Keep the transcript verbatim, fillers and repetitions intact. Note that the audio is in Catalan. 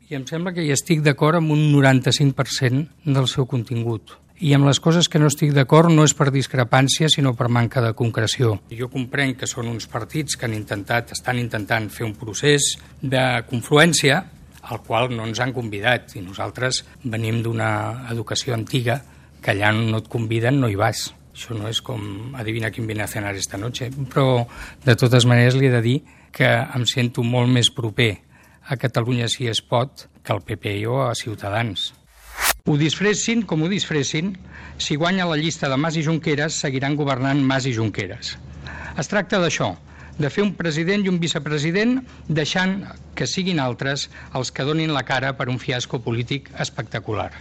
I em sembla que hi estic d'acord amb un noranta-cinc per cent del seu contingut. I amb les coses que no estic d'acord no és per discrepància, sinó per manca de concreció. Jo comprenc que són uns partits que han intentat, estan intentant fer un procés de confluència al qual no ens han convidat. I nosaltres venim d'una educació antiga que allà no et conviden, no hi vas. Això no és com adivina quién viene a cenar esta noche. Però, de totes maneres, li he de dir que em sento molt més proper a Catalunya si es pot que al P P I o a Ciutadans. Ho disfressin com ho disfressin, si guanya la llista de Mas i Junqueras, seguiran governant Mas i Junqueras. Es tracta d'això, de fer un president i un vicepresident deixant que siguin altres els que donin la cara per un fiasco polític espectacular.